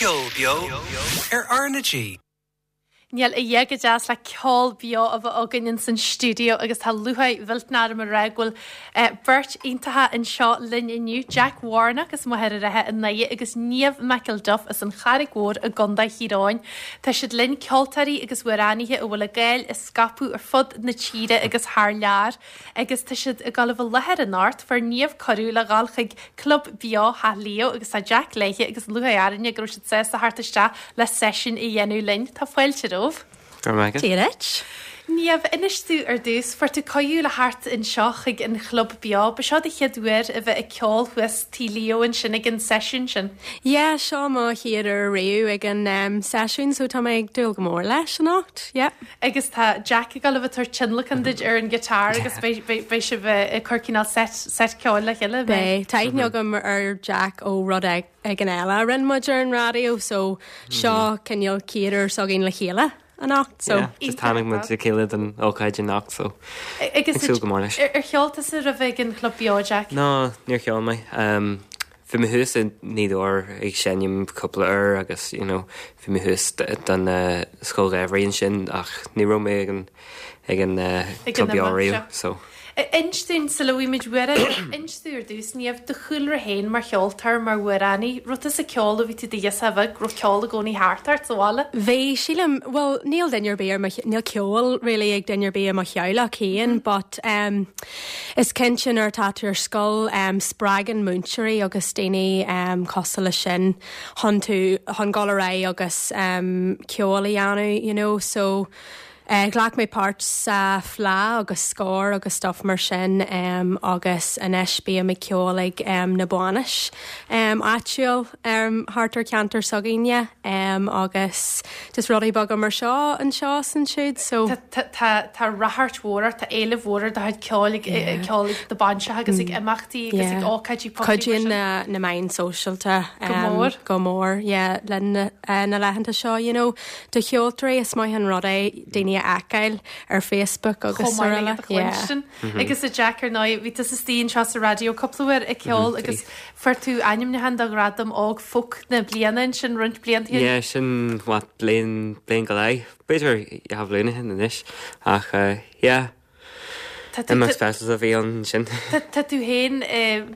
Ceol beo ar R na G. Níl a dhath chomh deas le ceol beo a bheith againn ins an stiúideo agus tá lúcháir mhillteanach orm a rá go bhfuil beirt iontacha anseo linn inniu, Jack Warnock as Machaire Rátha i nDoire agus Niamh McElduff as an Charraig Mhór i gContae Thír Eoghain. Tá siad linn, ceoltóirí agus amhránaithe a bhfuil a gcáil á scaipeadh ar fud na tíre agus thar lear. Agus tá siad ag dul a bheith i láthair anocht. Fuair Niamh cuireadh le dhul chuig Club Beo Theach Leo agus tá Jack léithe agus lúcháir orainne go raibh siad sásta theacht isteach le seisiún a dhéanamh linn. Tá fáilte romhaibh. Go raibh maith agat. Dia duit. Niamh, inis domh ar dtús, fuair tú cuireadh le theacht anseo chuig an Chlub Beo. Ba seo do chéad uair a bheith ag ceol thuas Tigh Leo ansin ag an seisiún sin. Yeah, seo mo chéad uair riamh ag an seisiún so tá mé ag dúil go mór leis anocht, yeah. Agus tá Jack ag dul a bheith ag tabhairt tionlacan duit ar an guitar agus beidh, beidh, beidh sibh ag cur cineál set, set ceoil le chéile, beidh? Beidh. Tá aithne agam ar Jack ó rud éigin eile a rinne muid ar an raidió so seo cineál chéad uair s'againn le chéile anocht so. Yeah, just tháinig muid le chéile don ócáid anocht so ag súil go mór leis. Ar cheol tusa roimhe ag an Chlub Beo, Jack? No, níor cheol mé. Bhí mé thuas i nGaoth Dobhair ag seinm cúpla uair agus you know bhí mé thuas don Scoil Gheimhridh ansin ach ní raibh mé ag an ag an Club Beo riamh so. Inis dúinn sula bhfaighimid amhrán, inis domh ar dtús, Niamh, do chúlra féin mar cheoltóir, mar amhránaí, raibh tusa ag ceol ó bhí tú i do ghirseach bheag, raibh ceol i gcónaí thart ort sa bhaile? Bhí, sílim, bhuel níl duine ar bith ar mo, níl ceol really ag duine ar bith i mo theaghlach féin but em Is cinnte nuair atá tú ar scoil, spreagann múinteoirí agus daoine cosúil leis sin chun tú, chun dul ar aghaidh agus ceol a dhéanamh, you know. So, ghlac mé páirt sa Fleadh agus Scór agus stuff mar sin agus anois bím ag ceol ag na bainis áitiúil thart ar cheantar s'againne agus just rudaí beaga mar seo anseo is ansiúd so. Tá tá ráchairt mhór ort, tá éileamh mhór ar do chuid ceoil ag ceol ag do bainseacha agus ag imeachtaí agus ag ócáidí poiblí mar sin. Cuidíonn na na meáin sóisialta Go mór. go mór yeah linn na laethanta seo you know. Do cheoltóirí is maith an rud é daoine a fheiceáil ar Facebook agus Chomh maith le iad a chluinstin. Agus a Jack ar ndóigh bhí tusa istigh anseo sa raidió cúpla uair ag ceol agus Fuair tú ainmniúchán do Ghradam Óg Folk na Bliana ansin roinnt blianta ó shin. Yeah, sin, what, bliain, bliain go leith, b'fhéidir dhá bhliain ó shin anois, ach yeah, Tá tú, imeacht speisialta a bhí ann ansin. tá, tá tú féin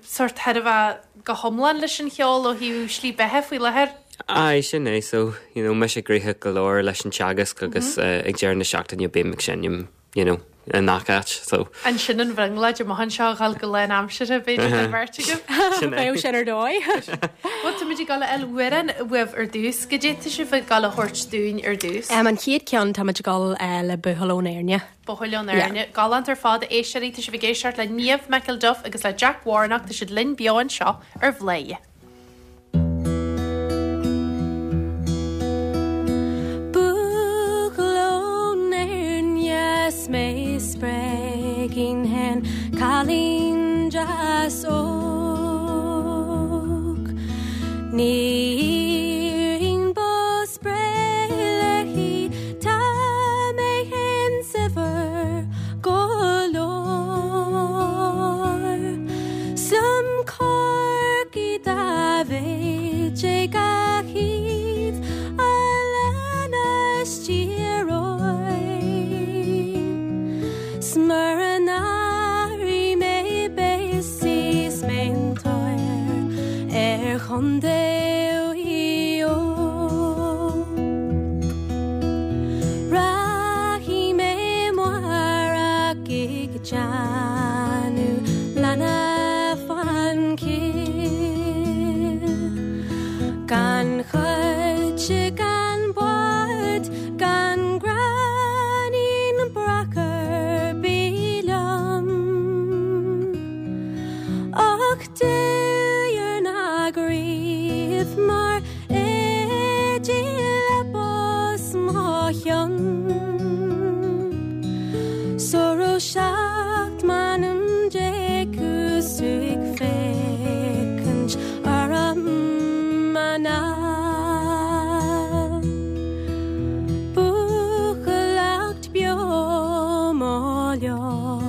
sórt thar a bheith go hiomlán leis an cheol ó thaobh slí beatha faoi láthair? Aye, sin é, so, you know, mise gnoitheach go leor leis an teagasc agus ag deireadh na seachtaine bím ag seinm. you know, i ngach áit, so. Ansin an bhrionglóid amach anseo a dhul go lánaimseartha, b'fhéidir don bheirt agaibh. Sin é. Bheadh sin ar dóigh. Bhuel, tá muid ag dul a fháil amhrán uaibh ar dtús. Goidé tá sibh ag dul a thabhairt dúinn ar dtús? An chéad cheann, tá muid ag dul le Buachaill ón Éirne. Buachaill ón Éirne. Galánta ar fad, a éisteoirí. Tá sibh ag éisteacht le Niamh McElduff agus le Jack Warnock. Tá siad linn beo anseo ar Bhladhaire. Buachaill ón Éirne 's mé spreigín fhéin cailín deas óg Ní iarrfainn bó Spré léi, tá mé fhéin saibhir go leor. 'S liom Corcaigh dá mhéid é gach thaobh a leanas Tír Eoghain. 'S mura n-athraí mé beidh sí 's mé an tóir ar chontae Mhaigh Eo. Rachaidh mé amárach ag déanamh leanna fán chill. Gan choite gan bád gan gráinnín breac ar bith liom. Ach Duilliúr na gcraobh mar éide le bos mo chionn. Sula raibh 17 m'anam 'cause tú ag féachaint orm anall. Buachailleacht beo mo leo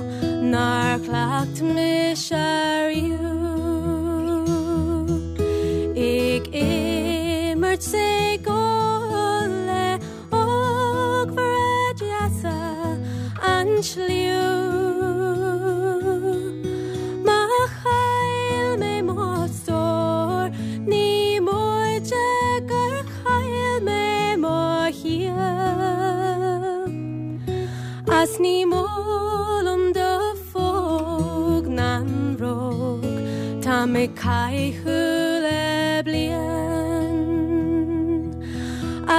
nár chleacht mise riamh ag imirt. Beirt ag gol le ógfheara deasa an tsliabh. Má chaill mé mo stór ní móide gur chaill mé mo shaol. A's ní mó liom do phóg ná an bhróg tá mé caitheamh le bliain.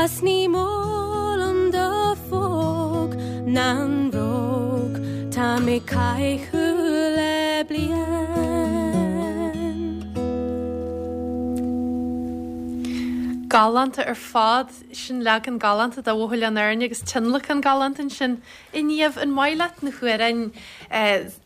A's ní mó liom do phóg ná an bhróg tá mé caitheamh le bliain. Galánta ar fad. Sin leagan galánta de Bhuachaill an Airne agus tionlacan galánta ansin. A Niamh, an maith leat na hamhráin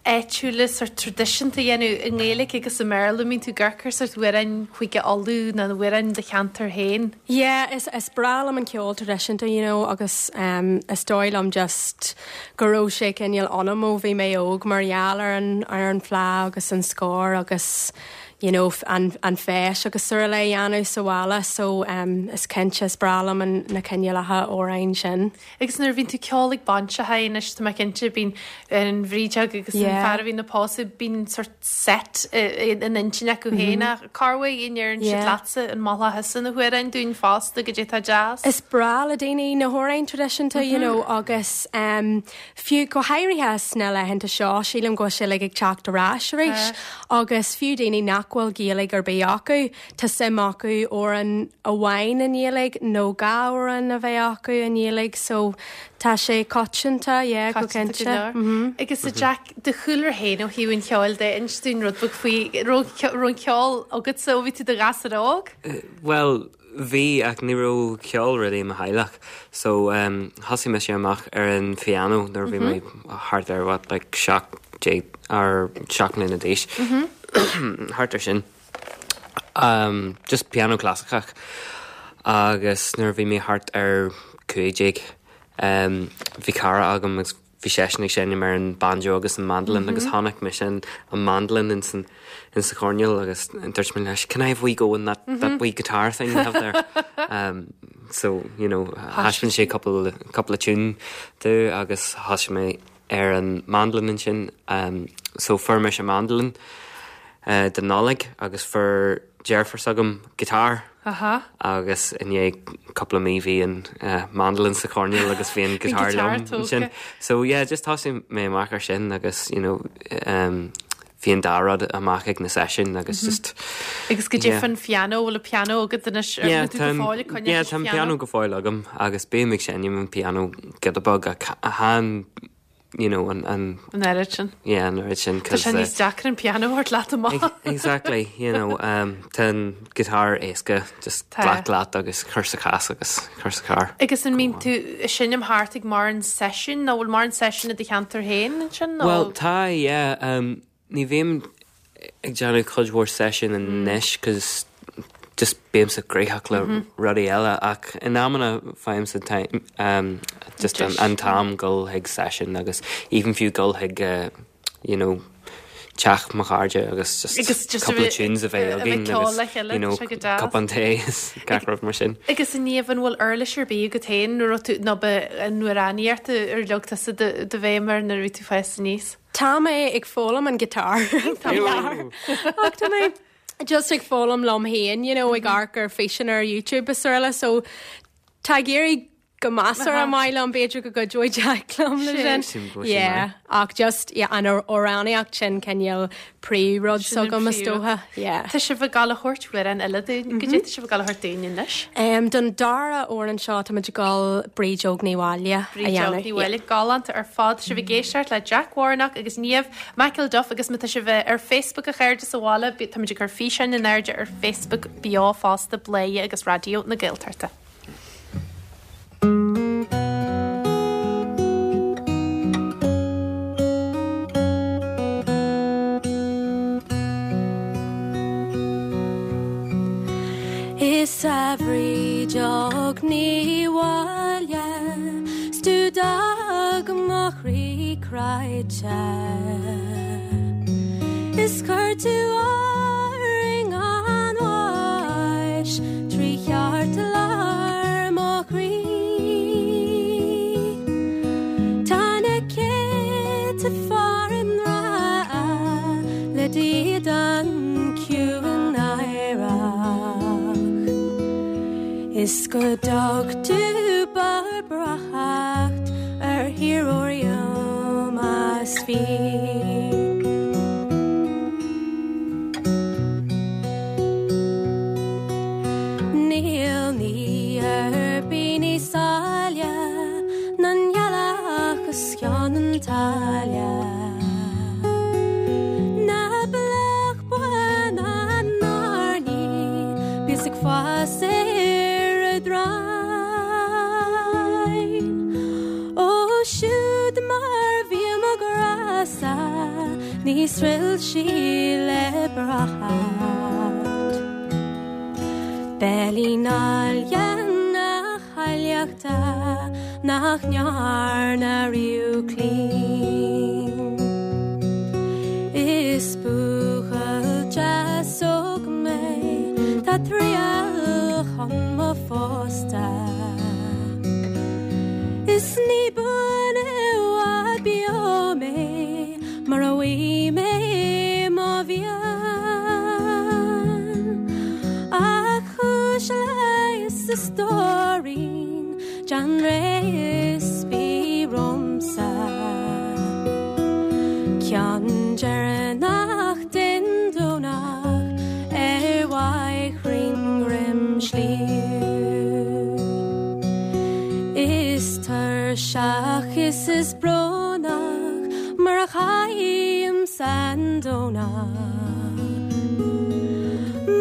áitiúla sórt traidisiúnta a dhéanamh i nGaeilge agus i mBéarla? An mbíonn tú ag amharc ar sórt amhráin Chúige Uladh nó na hamhráin do cheantar féin? Yeah, is is breá liom an ceol traidisiúnta, you know, agus um, is dóigh liom just go raibh sé cineál ionam ó bhí mé óg mar gheall ar an ar an fleadh agus an scór agus you know, an an feis agus araile a dhéanamh sa bhaile so um, is cinnte is breá liom an na cineálacha amhráin sin. Agus nuair a bhíonn tú ceol ag bainseacha anois tá mé cinnte bíonn an bhrídeog agus an fear a bhíonn ag pósadh bíonn sort set in intinn acu féin ach corruair an ndeireann siad leatsa an molfá thusa na hamhráin dúinn fosta goidé atá deas. Is breá le daoine na hamhráin traidisiúnta you know agus um, fiú go háirithe sna laethanta seo sílim go bhfuil sé like ag teacht ar ais arís agus fiú daoine nach bhfuil Gaeilge ar bith acu Tá suim acu amhrán amháin i nGaeilge nó dhá amhrán a bheith acu i nGaeilge so tá sé coitianta, yeah, go Coitianta go cinnte. leor. Agus a Jack, do chúlra féin ó thaobh an cheoil de, inis dúinn rud beag faoi, raibh an ceol agatsa ó bhí tú i do ghasúr óg? Bhuel, bhí ach ní raibh ceol really i mo theaghlach so thosaigh mise amach ar an phiano nuair a bhí mé thart ar what like 17 or 7 mbliana d'aois, thart ar sin. Um, just piano clasaiceach. Agus nuair a bhí mé thart ar 15, um, bhí cara agam agus bhí seisean ag seinm ar an banjo agus an mandolin agus chonaic mise an, an mandolin in san, in sa choirnéal agus dúirt mé leis, can I have a wee go on that, that wee guitar thing you have there? um, so, you know, thaispeáin sé cúpla, cúpla tune domh agus thosaigh mé ar an mandolin ansin. So fuair mise mandolin don Nollaig agus fuair deirfiúr s'agam guitar agus i ndiaidh cúpla mí bhí an mandolin sa choirnéal agus bhí an guitar liom ansin. So yeah, just thosaigh mé amach ar sin agus you know bhí an dá rud amach ag na seisiúin agus just Agus goidé faoin phiano, bhfuil an piano agat anois ar tú go fóill ag coinneáil Yeah, tá an piano go fóill agam agus bím ag seinm an piano giota beag ach chan you know, an an An oiread sin. Yeah, an oiread sin Tá sé níos deacra an piano a thabhairt leat amach. Exactly, you know, um, tá an guitar éasca just glac leat agus cur sa chás agus cur sa charr. Agus an mbíonn tú ag seinm thart ag mórán seisiún nó bhfuil mórán seisiún i do cheantar féin ansin nó? Bhuel tá, yeah, um, ní bhím ag déanamh cuid mhór seisiún anois cos just bímse gnóthach le rudaí eile ach in amanna faighimse time um, just an, an t-am dul chuig seisiún agus even fiú dul chuig uh, you know, teach mo chairde agus just Agus just a cúpla bheith- tunes a bheith a bheith againn ceol agus le chéile, you know, tá sé go deas. cupán tae is gach rud mar sin. Agus a Niamh an bhfuil uirlis ar bith agat féin nuair a raibh tú nó ba an amhránaíocht ar leag tusa do do bhéim air nuair a bhí tú ag fás aníos? Tá mé ag foghlaim an guitar tá mé ach tá mé just ag foghlaim liom féin, you know, ag amharc ar físeáin ar YouTube is araile so tá ag éirí go measartha maith liom, b'fhéidir go gcuideoidh Jack liom le sin. Yeah, ach just yeah, an amhránaíocht sin cineál príomhrud s'agam is dócha. Yeah. Tá sibh ag gabháil a thabhairt amhrán eile dúinn. Goidé tá sibh ag gabháil a thabhairt dúinn anois? Um, don dara amhrán seo tá muid ag gabháil Bríd Óg Ní Mháille a Bríd Óg dhéanamh. Ní Mháille, galánta ar fad. Tá sibh ag éisteacht le Jack Warnock agus Niamh McElduff agus má tá sibh ar Facebook a chairde sa bhaile, tá muid ag cur físeáin in airde ar Facebook beo fosta, Bladhaire agus Raidió na Gaeltachta. Is a Bhríd Óg Ní Mháille 's tú d'fhág mo chroí cráite Is chuir tú orainn an bháis. Is go dtug tú barr breáthacht ar thír óir más bhí. Níl ní ar bith níos áille ná an ghealach os cionn an tsáile. Ná bealach bán an airní bíos ag fás ar a dtraigh. Ó siúd mar bhí mo ghrá-sa níos ruilsí le breáthacht. Beilín áille na háilleachta nach ndearna riamh claon. Is buachaill deas óg mé tá triall chun mo phósta. Is ní buan i bhfad beo mé mura bhfaighidh mé mo mhian. Ach cúis leighis a stóirín déan réidh is bí romhamsa. Ceann deireanach den Domhnach ar bhóithrín dhroim sliabh. Is tuirseach is is brónach mar a chaithimse an Domhnach.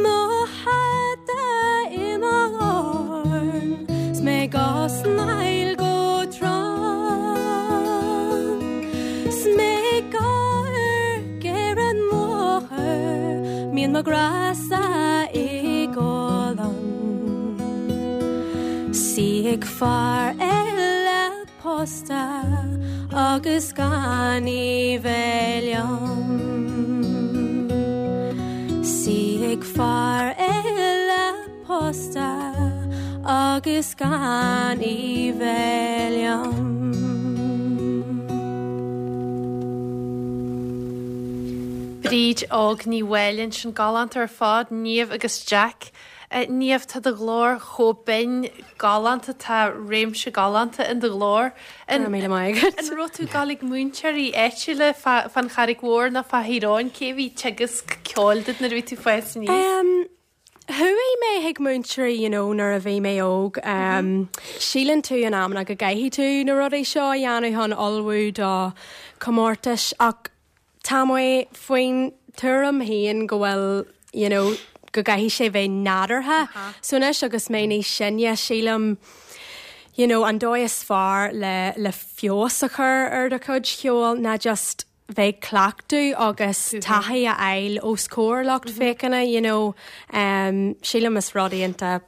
Mo hata i mo dhorn 's mé ag osnaíl go trom. 'S mé ag amharc ar an mbóthar mbíonn mo ghrá-sa i gcodladh ann. 'S í ag fear eile pósta agus gan í bheith liom. 'S í ag fear eile pósta agus gan í bheith liom. Bríd Óg Ní Mháille ansin galánta ar fad, Niamh agus Jack. Niamh, tá do ghlór chomh binn galánta, tá réimse galánta in do ghlór. Go raibh míle maith agat. An raibh tú ag dul ag múinteoirí áitiúla fán Charraig Mhór nó fá Thír Eoghain? Cé a bhí ag teagasc ceoil duit nuair a bhí tú ag fás aníos? Chuaigh mé chuig múinteoirí you know nuair a bhí mé óg. Síleann tú in amanna go gcaithfidh tú na rudaí seo a dhéanamh chun ullmhú do chomórtais ach tá mé faoin tuairim féin go bhfuil you know go gcaithfidh sé bheith nádúrtha. So anois agus mé níos sine sílim you know an dóigh is fearr le le feabhas a chur ar do chuid cheoil ná just bheith ag cleachtadh agus taithí a fháil os comhair lucht féachana you know sílim is rud iontach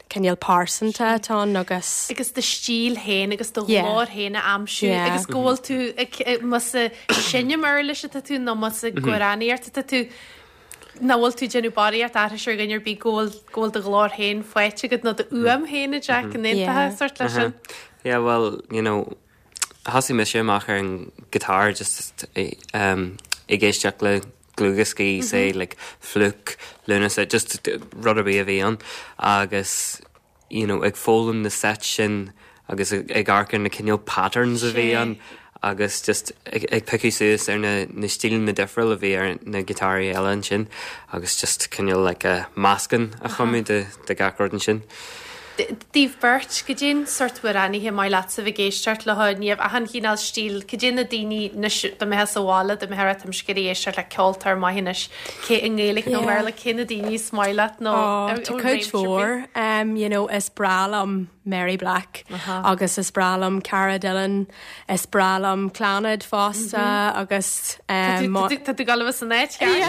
cineál pearsanta atá ann agus. agus do stíl féin agus do ghlór féin a aimsiú agus go bhfuil tú ag más ag seinm uirlis atá tú nó más ag amhránaíocht atá tú nach bhfuil tú ag déanamh barraíocht aithris ar dhuine ar bith go bhfuil go bhfuil do ghlór féin faighte agat nó do fhuaim féin a Jack an aontófá sort leis sin? Yeah well you know Thosaigh mise amach ar an guitar just ag éisteacht le dlúthdhioscaí say like Flook, Lúnasa, just rud ar bith a bhí ann agus you know ag foghlaim na sets sin agus ag amharc ar na cineál patterns a bhí ann agus just ag piocadh suas ar na na stíleanna difriúla a bhí ar na giotáraí eile ansin agus just cineál like a meascán a chumadh de de gach rud ansin. Daoibh beirt, cad é an sórt amhránaithe maith leatsa bheith ag éisteacht leo, Niamh, achan chineál stíl, cad é na daoine anois, dá mbeifeá sa bhaile, dá mbeifeá ag rá táim ag iarraidh éisteacht le ceoltóir maith anois, cé i nGaeilge nó i mBéarla, cé na daoine is maith leat nó Ó, tá cuid mhór, you know, is breá liom Mary Black agus is breá liom Cara Dillon, Is breá liom Clannad fosta agus. Tá tú ag dul a bheith san áit cheart.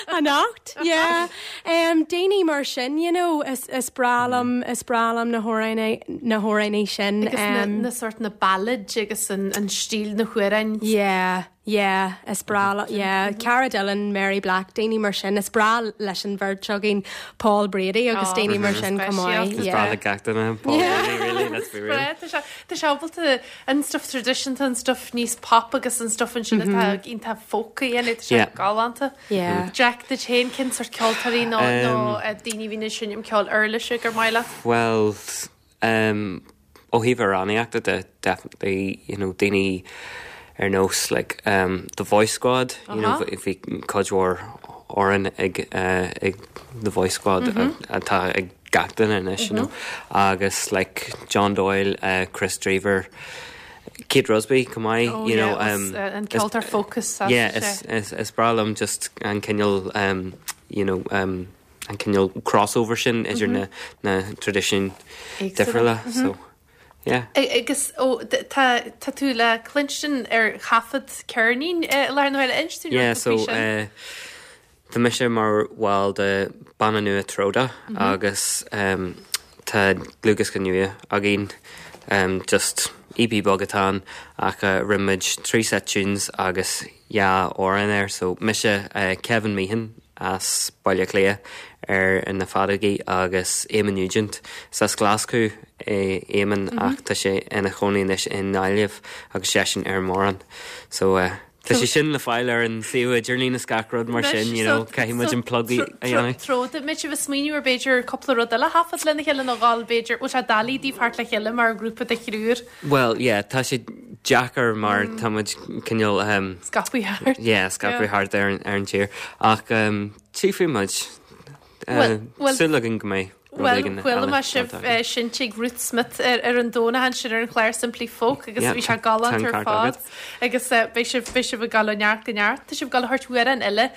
Anocht, yeah. Daoine mar sin, you know, is breá liom, is breá liom na hamhráin, na hamhránaí sin. Agus na sort na ballads agus an stíl na hamhráin. Yeah. Yeah, is breá, yeah, Cara Dillon, Mary Black, daoine mar sin, is breá leis an bheirt againn Paul Brady agus daoine mar sin chomh maith. Is breá le gach duine Paul Brady, really, let's be real. Tá sé ábalta an stuff traidisiúnta, an stuff níos pop agus an stuff ansin atá iontach folk a dhéanamh, tá sé galánta. Jack, duit féin, cén sórt ceoltóirí nó daoine a bhíonn ag seinm ceoil uirlise gur maith leat? Bhuel, Ó thaobh amhránaíochta de, definitely, you know, daoine ar nós like The Voice Squad, you know, bhí cuid mhór amhrán ag ag The Voice Squad atá ag gach duine anois, you know, agus like John Doyle, Kris Drever, Kate Rusby chomh maith, you know. An ceoltóir folk is Yeah, is breá liom just an cineál, you know, an cineál crossover sin idir na na traidisiúin difriúla so yeah. Agus ó tá tá tú le cluinstin ar thaifead ceirnín i láthair na huaire, inis dúinn Yeah so eh tá mise mar bhall de banna nua Troda agus em tá dlúthdhiosca nua againn em just EP beag atá ann ach rinne muid 3 set tunes agus 2 amhrán air so mise Kevin Meehan as Baile Átha Cliath ar na feadógaí agus Eamon Nugent. Is as Glaschú é Eamon ach tá sé ina chónaí anois i nGaillimh agus seisean ar an mbodhrán. So tá sé sin le fáil ar an suíomh idirlín is gach rud mar sin, you know, caithfidh muid an plug a dhéanamh. Troda, muid ag smaoineamh ar b'fhéidir cúpla rud eile a thaifead lena chéile nó dhul b'fhéidir, bhfuil sé doiligh daoibh theacht le chéile mar ghrúpa de thriúr? Bhuel, yeah, tá sé deacair mar tá muid cineál um, Scaipthe thart. yeah, scaipthe thart ar an, ar an tír. Ach um, tchífidh muid. Bhuel, bhuel- Súil againn go mbeidh rud Bhuel, éigin chuala eile mé sibh déanta againn. seinnte ag Ruth Smith ar, ar an Domhnach ansin ar an chlár Simply Folk agus Yeah, bhí sé tá galánta an ar ceart fad. agat. Agus beidh sibh, beidh sibh ag dul ó neart go neart. Tá sibh ag dul a thabhairt amhrán eile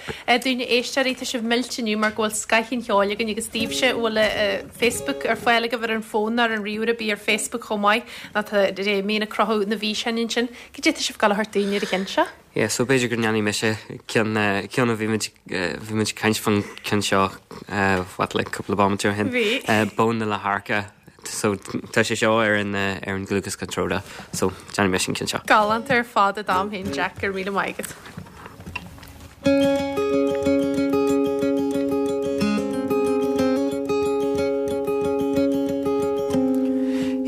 dúinn a éisteoirí, tá sibh millte inniu mar go bhfuil scoth an cheoil againn agus daoibhse a bhfuil Facebook ar fáil agaibh ar an bhfón nó ar an ríomhaire, bí ar Facebook chomh maith nó tá Damien ag cruthú na bhfíseáin ansin. Cad é tá sibh ag dul a thabhairt dúinn ar an cheann seo? Yeah, so b'fhéidir go ndéanfaidh mise ceann, ceann a bhí muid, bhí muid ag caint faoin ceann seo, what, like cúpla bomaite ó shin. Bhí. Bó na Leathadhairce. So tá sé seo ar an ar an dlúthdhiosca Troda. So déanfaidh mise an ceann seo. Galánta ar fad a dom féin Jack, go raibh míle maith agat.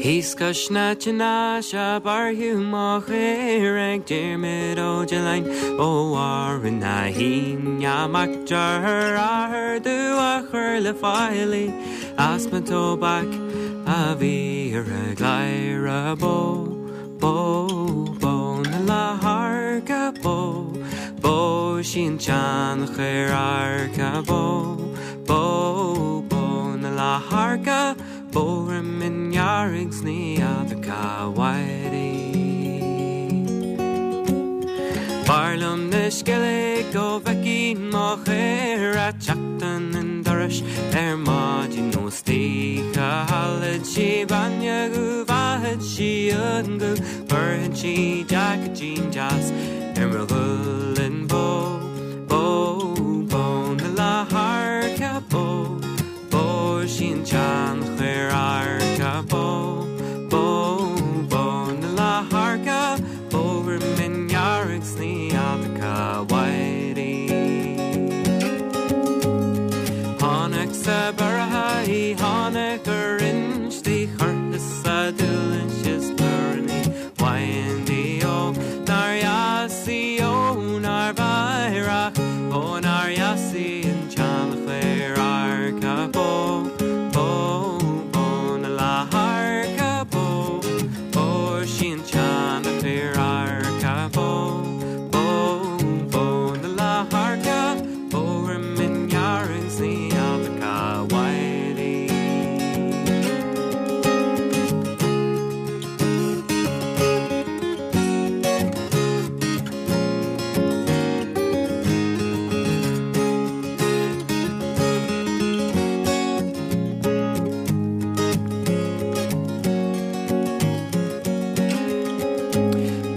Thíos cois na Teannaise bearrthadh mo chaora ag Diarmuid Ó Diolláin ó Bharra na hAoine, mac dearthár dubh a chuir le fáil í. As mo tobac a bhí ar a gcladhaire bó, bó, bó na leathadhairce bó, bó sí an tseanchaor adhairce bó, bó, bó na leathadhairce bó droim ndearg 's ní fheadar cá bhfuair í. B'fhearr liom na Sceilg go bhfeicfinn mo chaora teacht 'un an dorais ar maidin nó istoíche. Ólfadh sí bainne go bhfaighidh sí an guth, bhéarfaidh sí jaicín deas ar mo ghualainn. Bó, bó, bó na leathadhairce bó, Bó sí an tseanchaor adhairce bó, bó, bó na leathadhairce bó droim ndearg 's ní fheadar cá bhfuair í. Tháinig sa bearrtha í, tháinig ar instí curtha sa dúlann is plúrannaí bhain di ó nár dheas í ó nár mheidhreach ó nár dheas í an tseanchaor adhairce bó bó bó na leathadhairce bó bó sí an tseanchaor adhairce bó bó bó na leathadhairce bó droim ndearg 's ní fheadar cá bhfuair í.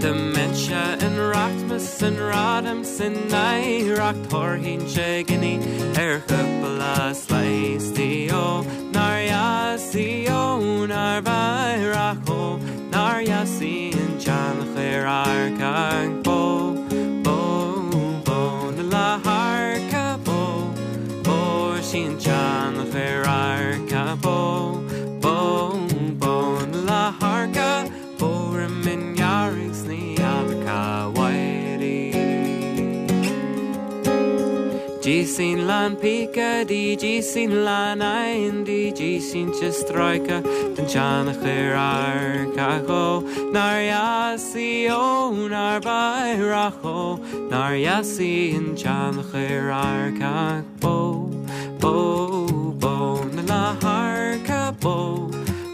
Dá mbeinnse in rachmas an gradam san oidhreacht thabharfainnse giní ar chúpla slice di ó nár dheas í ó nár mheidhreach ó nár dheas í an tseanchaor adhairce bó, sin lán píce D G sin lán N D G sínte stráice den tseanchair adharcach Ó nár dheas í ó nár b'aerach Ó nár dheas í an tseanchair adharcach Bó, bó, bó na leath-adharca Bó,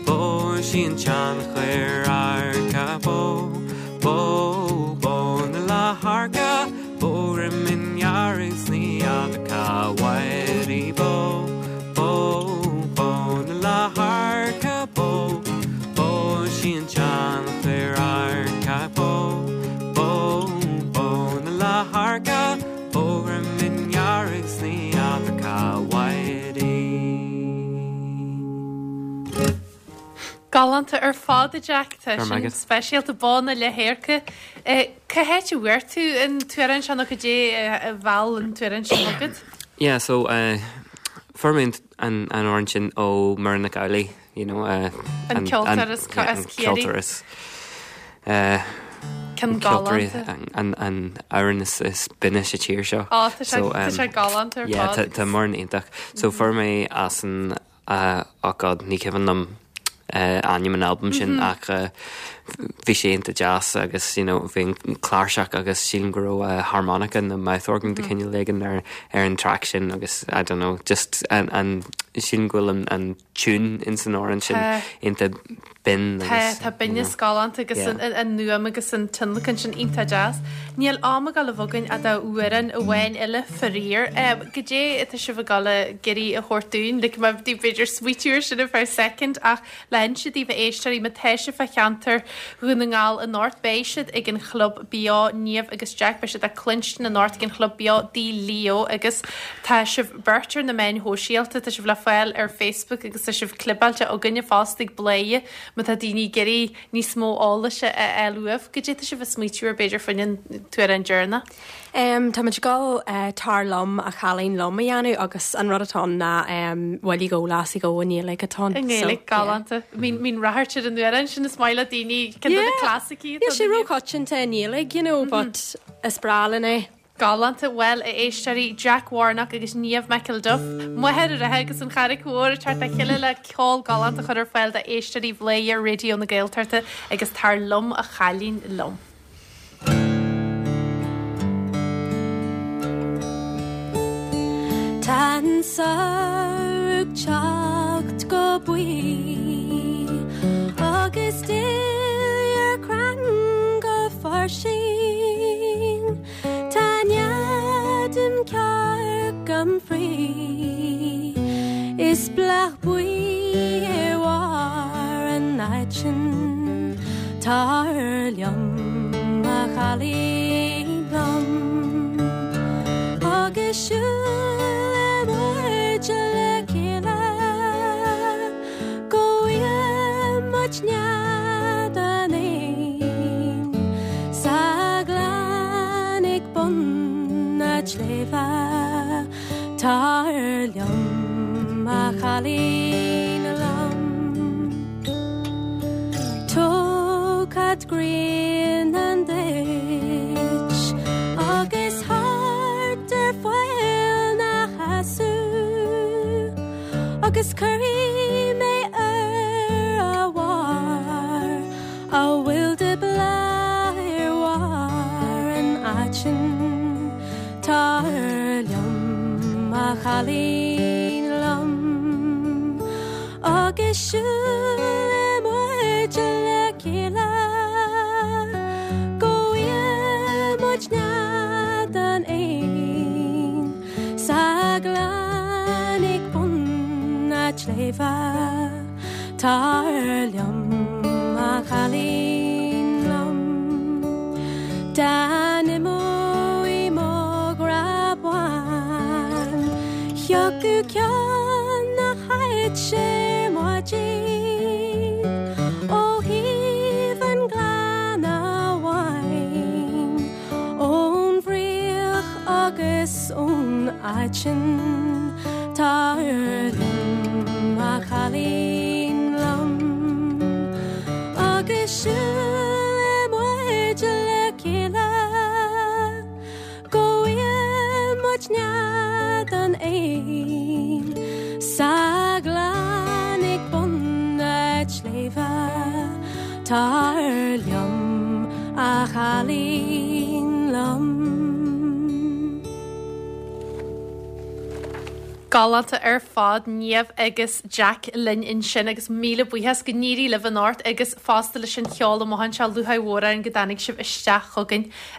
bó sí an tseanchair adharcach Bó, bó, bó na leath-adharca Bó droim ndearg 's ní fheadar cá bhfuair í Bó, bó, bó na leath-adharca Bó, bó sí an tseanchair adharcach Bó, bó, bó na leath-adharca Bó droim ndearg 's ní fheadar cá bhfuair í. Galánta ar fad, a Jack. Tá sin speisialta, Bó na Leath-Adharca. Cá háit a bhfuair tú an t-amhrán seo nó cad é a mheall an t-amhrán sin chugat? Yeah, so fuair mé an amhrán sin ó Muireann Nic Amhlaoibh, you know. An ceoltóir as Ciarraí. An ceoltóir is Ceann galánta. An amhrán is binne sa tír seo. Á, tá sé galánta ar fad. Yeah, tá Muireann iontach. So fuair mé as an Oh God, ní cuimhin liom ainm an albaim sin ach bhí sé iontach deas agus you know bhí an cláirseach agus sílim go raibh harmonica nó mouth organ de chineál éigin ar ar an track sin agus I don't know just an an sílim go bhfuil an an tune ins an amhrán sin iontach binn agus Tá, tá binneas galánta agus an an fhuaim agus an tionlacan sin iontach deas. Níl am ag dul a bheith againn ach d'amhrán amháin eile faraor. Goidé atá sibh ag dul ag iarraidh a thabhairt dúinn? Like má bhí b'fhéidir smaoitiú ar sin ar feadh soicind ach le hinse daoibh a éisteoirí má tá sibh fá cheantar Dhún na nGall anocht beidh siad ag an Chlub Beo, Niamh agus Jack, beidh siad le cluinstin anocht ag an Chlub Beo Dí Leo agus tá sibh beirt ar na meáin shóisialta, tá sibh le fáil ar Facebook agus tá sibh clibeáilte againne fosta ag Bladhaire má tá daoine ag iarraidh níos mó eolais a fháil uaibh. Goidé tá sibh ag smaoitiú ar b'fhéidir fá choinne an t-amhrán deireanach? Tá muid ag dul Tar Liom a Chailín Liom a dhéanamh agus an rud atá ann ná Will you go lassie go i nGaeilge atá ann. I nGaeilge, galánta. Mbíonn ráchairt ar an amhrán sin is maith le daoine ceann de na clasaicí atá Níl sé róchoitianta i nGaeilge, you know, but is breá linn é. Galánta. Bhuel, a éisteoirí, Jack Warnock agus Niamh McElduff, Machaire Rátha agus an Charraic Mhór ag teacht le chéile le ceol galánta a chur ar fáil d'éisteoirí Bhladhaire Raidió na Gaeltachta agus Tar Liom a Chailín Liom. Tá an samhradh ag teacht go buí agus duilliúr ar crann go fairsing. Tá nead im cearc im chroí Is bláth buí ar bharr an aitinn Tar liom a chailín liom Agus siúlfaidh muid le chéile Go bhfaighidh muid nead an éin Sa ghleann ag bun na sléibhe Tar liom a chailín liom Tógfad grian duit Agus thart ar phoill na heasadh Agus cuirfidh mé ar a bharr a bhfuil de bhláth ar bharr an aitinn. Tar liom, a chailín liom, agus siúlfaidh muid le chéile go bhfaighidh muid nead an éin. Sa ghleann ag bun na sléibhe Tar liom a chailín liom Dá n-imeoidh mo ghrá bán Thiocfadh ceann na háite ar maidin Ó thaobh an ghleanna bháin Ón bhfraoch agus ón aiteann Tar liom a chailín liom Agus siúlfaidh muid le chéile Go bhfaighidh muid. Cuid den éin sa ghleann ag bun na sléibhe, Tar liom, a chailín liom. Galánta ar fad, Niamh agus Jack linn ansin agus míle buíochas, go n-éirí libh anocht agus fosta leis an cheol amuigh anseo, lúcháir mhór orainn go dtáinig sibh isteach chugainn.